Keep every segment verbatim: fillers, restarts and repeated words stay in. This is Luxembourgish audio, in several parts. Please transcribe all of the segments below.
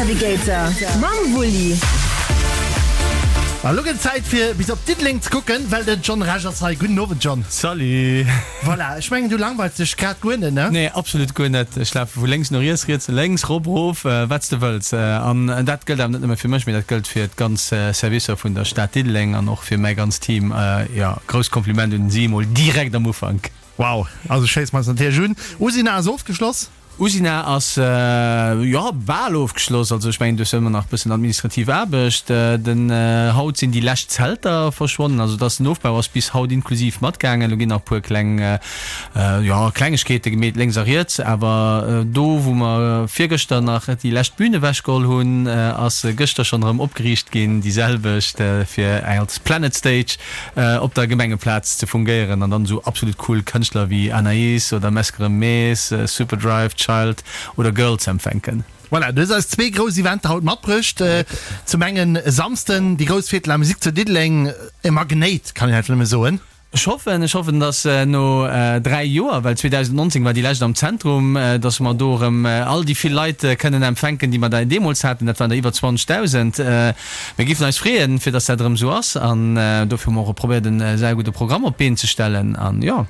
Navigator mam Wulli. A lo gëtt et Zäit fir bis op Diddeleng ze kucken, well den John Rech ass hei. Gudden Owend John. Salut. Voilà, ech mengen du langweils dech grad guer net, ne? Nee, absolut guer net. Ech lafe vu lénks no riets, riets no lénks, rop, rof, wat s de wëlls. An dat gëllt awer net nëmme fir mech, mee dat gëllt fir d'ganz Servicer vun der Stad Diddeleng an och fir mäi ganzt Team. Jo, grousst Kompliment un si emol direkt am Ufank. Wow, also schéiss mer eis natierlech un. Usina ass ofgeschloss. Usina ass, jo, bal ofgeschloss. Also ech mengen, do ass ëmmer nach e bëssen administrativ Aarbecht. Den haut sinn déi lescht Zelter verschwonnen. Also dass den Ofbau ass bis haut inklusiv matgaangen. Elo ginn nach e puer kleng, jo, Klengegkeete gemeet lénks a riets. Awer do, wou mer virgëschter nach déi lescht Bün ewechgeholl hunn, ass gëschter schonn erëm opgeriicht ginn, déi selwecht, fir als Planet Stage op der Gemengeplaz ze fungéieren. An dann esou absolut cool Kënschtler wéi Anaïs oder Meskerem Mees, Superdrive, Child oder Girl ze empfänken. Voilà, du hues eis zwee grouss Eventer haut matbruecht. Zum engen e Samsden déi grouss Fête de la Musique zu Diddeleng, e Magnéit, kann een einfach nëmme soen. Ech hoffen, ech hoffen, dass no dräi Joer, well zweedausendnonzéng war déi lescht am Zentrum, dass mer do erëm all déi vill Leit kënnen empfänken, déi mer da deemools haten. Dat waren der iwwer zwanzegdausend. Mir géifen eis freeën, fir dass dat erëm esou ass an dofir hu mer och probéiert, e saugudde Programm op d'Been ze stellen an jo.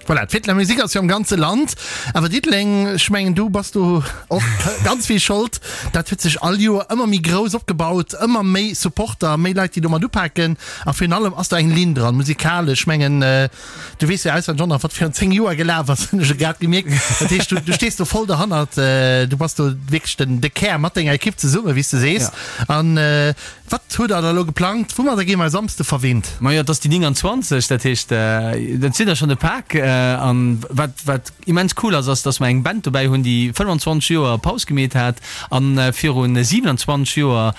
Voilà, d'Fête de la Musique ass jo am ganze Land, awer Diddeleng, ech mengen du bass do och ganz vill Schold, dat huet sech all Joer ëmmer méi grouss opgebaut, ëmmer méi Supporter, méi Leit déi do mat upaken a virun allem ass do eng Linn dran, musikalesch. Ech mengen du weess jo auswenneg och nach wat virun zéng Joer gelaf ass, hunn ech elo grad gemierkt. Dat heescht du stees do voll derhannert, du bass do wierklech den de Kär mat denger Ekipp zesumme wéi s de sees an Wat hutt der da elo geplangt? Woumadder gi mer e Samsde verwinnt? Majo, et ass déi nénganzwanzeg, dat heescht, dat sinn der schonn e Pak. An wat, wat immens cool ass, ass, dass mer eng Band dobäi hunn, déi fënnfanzwanzeg Joer Paus gemeet hat a viru siewenundzwanzeg Joer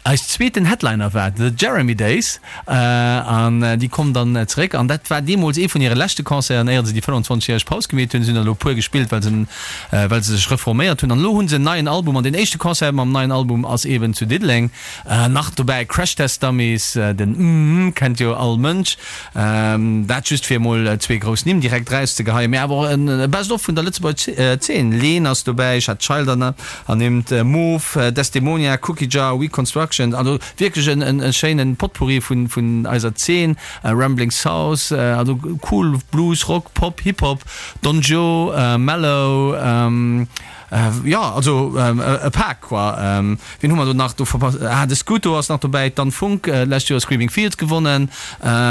eis zweeten Headliner war, The Jeremy Days. An déi kommen dann zeréck. An dat war deemools ee vun hire leschte Concerten, éier se déi fënnfanzwanzegjäreg Paus gemeet hunn. Si hunn der elo e puer gespillt, well se, well se sech reforméiert hunn. An elo hu se en neien Album an deen éischte Concert mam neien Album ass eeben zu Diddeleng. Nach dobäi Crash Test Dummies, den mm kennt jo all Mënsch. Dat just fir emol zwee grouss Nimm direkt erauszegeheien. Mee awer och e Best of vun der Lëtzebuerger Zeen, Leen ass dobäi, ech hat Child ernimmt, Moof, Desdemonia, Cookie Jar, We Construction, also wierklech e schéine Potpourri vun eiser Zeen, Rambling South, also cool Blues, Rock, Pop, Hip Hop, Don Joe, Mellow, jo also e Pak quoi. Wien hu mer do nach do verpasst? Ah de Scooto ass nach dobäi, d'Anne Funck, d'lescht Joer Screaming Fields gewonnen.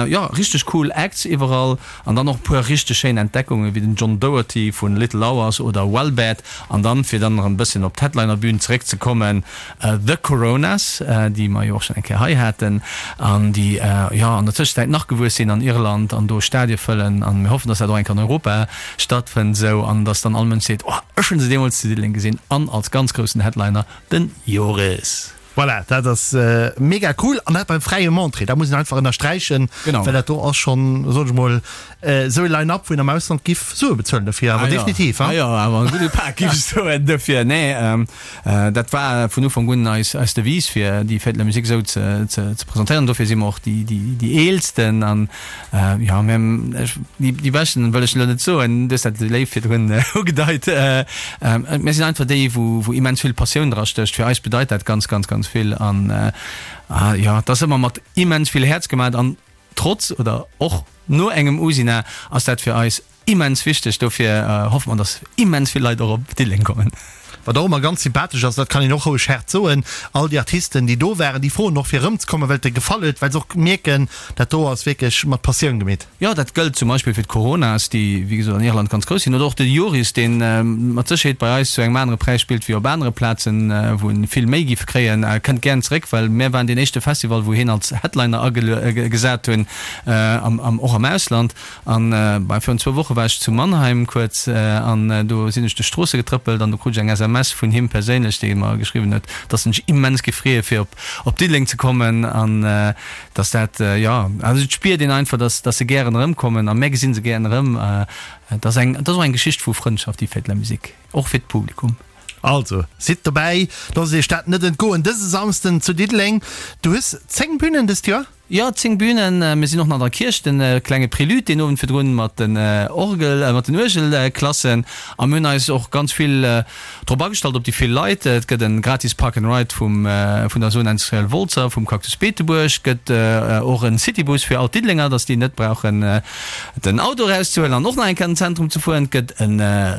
Jo richteg cool Acts iwwerall an dann och e puer richteg schéin Entdeckungen wéi den John Doherty vun Little Hours oder Wellbed. An dann fir dann erëm e bësschen op d'Headliner-Bühn zeréckzekommen, The Coronas, déi mer jo och schonn eng Kéier hei haten an déi jo an der Tëschenzäit nach gewuess sinn an Irland an do Stadie fëllen. An mir hoffen, dass dat och eng Kéier an Europa stattfënnt esou an dass dann all Mënsch seet, Oh, ech hunn se deemools zu Diddeleng gesinn an als ganz groussen Headliner den Joris. Voilà, dat ass mega cool an dat beim fräiem Entrée, dat muss een einfach ënnersträichen, well dat do ass schonn, soen ech mol, esou e Line-up, wou een am Ausland giff Sue bezuelen dofir, awer definitiv. Ah jo, awer e gudde Pak giff ech soen dofir. Nee, dat war vun Ufank un eis eis Devise fir déi Fête de la Musique esou ze ze presentéieren. Dofir si mer och déi déi déi eelsten an jo, mir déi beschten wëll ech elo net soen, du hues dat léif virdrun ugedeit. Mir sinn einfach déi, wou wou immens vill Passioun drastécht. Fir eis bedeit dat ganz, ganz, ganz vill an jo, et ass ëmmer mat immens vill Häerz gemaat an trotz oder och no engem Usina ass dat fir eis immens wichteg. Dofir hoffe mer, dass immens vill Leit och op Diddeleng kommen. Wat och ëmmer ganz sympathesch ass, dat kann een och roueg haart soen, all déi Artisten, déi do waren, déi froen och fir erëmzekommen, well et de gefall huet, well se och mierken, dat do ass wierklech mat Passioun gemeet. Jo, dat gëllt zum Beispill fir d'Coronas, déi wéi gesot an Irland ganz grouss sinn, oder och de Joris, dee mat Sécherheet bei eis zu engem anere Präis spillt wéi op anere Plazen, wou en vill méi géif kréien. E kënnt gären zeréck, well mär waren deen éischte Festival, wou hien als Headliner agesat hunn, och am Ausland. An virun zwou Woche war ech zu Mannheim kuerz an do sinn ech duerch d'Stroosse getrëppelt an do krut ech eng S M S vun him perséinlech, dee mer geschriwwen huet, dass en sech immens géif freeë fir op Diddeleng ze kommen an Dass dat, jo, also et spiert een einfach, dass, dass se gären erëmkommen a mär gesinn se gären erëm. Et ass eng, et ass och eng Geschicht vu Frëndschaft, déi Fête de la Musique, och fir d'Publikum. Also, sidd dobäi, loosst iech dat net entgoen dëse Samsden zu Diddeleng. Du hues zéng Bünen dëst Joer? Jo, zéng Bünen. Mir sinn och nach an der Kierch, de klenge Prélude deen Owend virdrun mat den Orgel, mat den Uergelklassen. A mir hunn eis och ganz vill drop agestallt op déi vill Leit. Et gëtt e gratis Park and Ride vum, vun der Zone Industrielle Wolzer, vum Cactus Beetebuerg. Et gëtt och e Citybus fir all d'Diddelenger, dass déi net brauchen den Auto erauszehuelen an och nach eng Kéier an den Zentrum ze fueren. Et gëtt e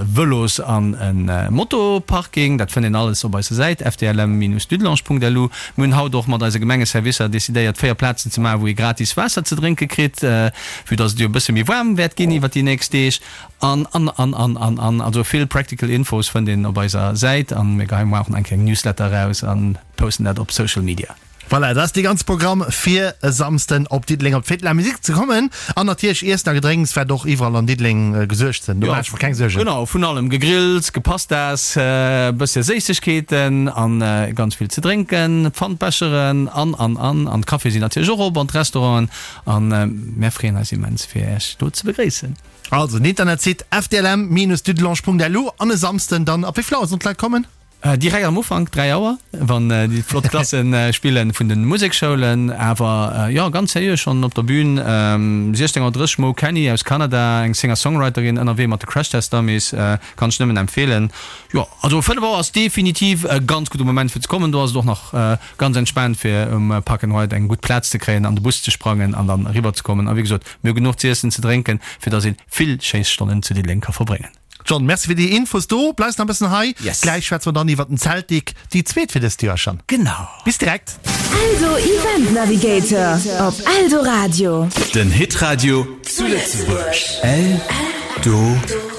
Vëlos an e Motoparking. Dat fënnt een alles op eiser Säit fdlm-dudelange.lu. Mir hunn haut och mat eise Gemengeservicer decidéiert, véier Plazen ze maachen, wou ee gratis Waasser ze drénke kritt, vue dass et jo e bësse méi waarm wäert ginn iwwer déi nächst Deeg. An, an, an, an, an, an. Also vill practical Infos fënnt een op eiser Säit an mir geheien muer och nach eng kleng Newsletter eraus a posten dat op Social Media. Voilà, dat ass dee ganze Programm fir e Samsden op Diddeleng op d'Fête de la Musique ze kommen. An natierlech Iessen a Gedrénks wäert och iwwerall an Diddeleng gesuergt sinn, do maache ech mer keng Suergen. Genau, vun allem, Gegrills, Gepastas, e bësse Séissegkeeten an ganz vill ze drénken, Pfandbecheren an, an, an. An d'Caféë sinn natierlech och op an d'Restauranten. An mär freeën eis immens fir Iech do ze begréissen. Also den Internetsite fdlm-dudelange.lu an e Samsden dann ab wéi vill Auer sollen d'Leit kommen? Direkt am Ufank, dräi Auer, wann déi flott Klasse spillen vun de Musekschoulen. Awer jo, ganz seriö schonn op der Bühn. siechzéng Auer drësseg, Mo Kenny aus Kanada, eng Singer-Songwriterin, ënnerwee mat de Crash Test Dummies, kann ech nëmmen empfeelen. Jo, also fënnef Auer ass definitiv e ganz gudde Moment fir ze kommen. Do ass et och nach ganz entspaant fir um Park and Ride eng gutt Plaz ze kréien, an de Bus ze sprangen an dann eriwwer ze kommen. A wéi gesot, mir hu genuch z'iessen, ze drénken, fir dass ee vill schéi Stonnen zu Diddeleng ka verbréngen. John, merci fir déi Infos do. Bleifs nach e bëssen hei? Yes. Gläich schwätze mer dann iwwer den Zeltik, déi zweet fir dëst Joer schonn. Genau. Bis direkt. Eldo Event Navigator op Eldoradio. Den Hitradio zu Lëtzebuerg. Eldoradio.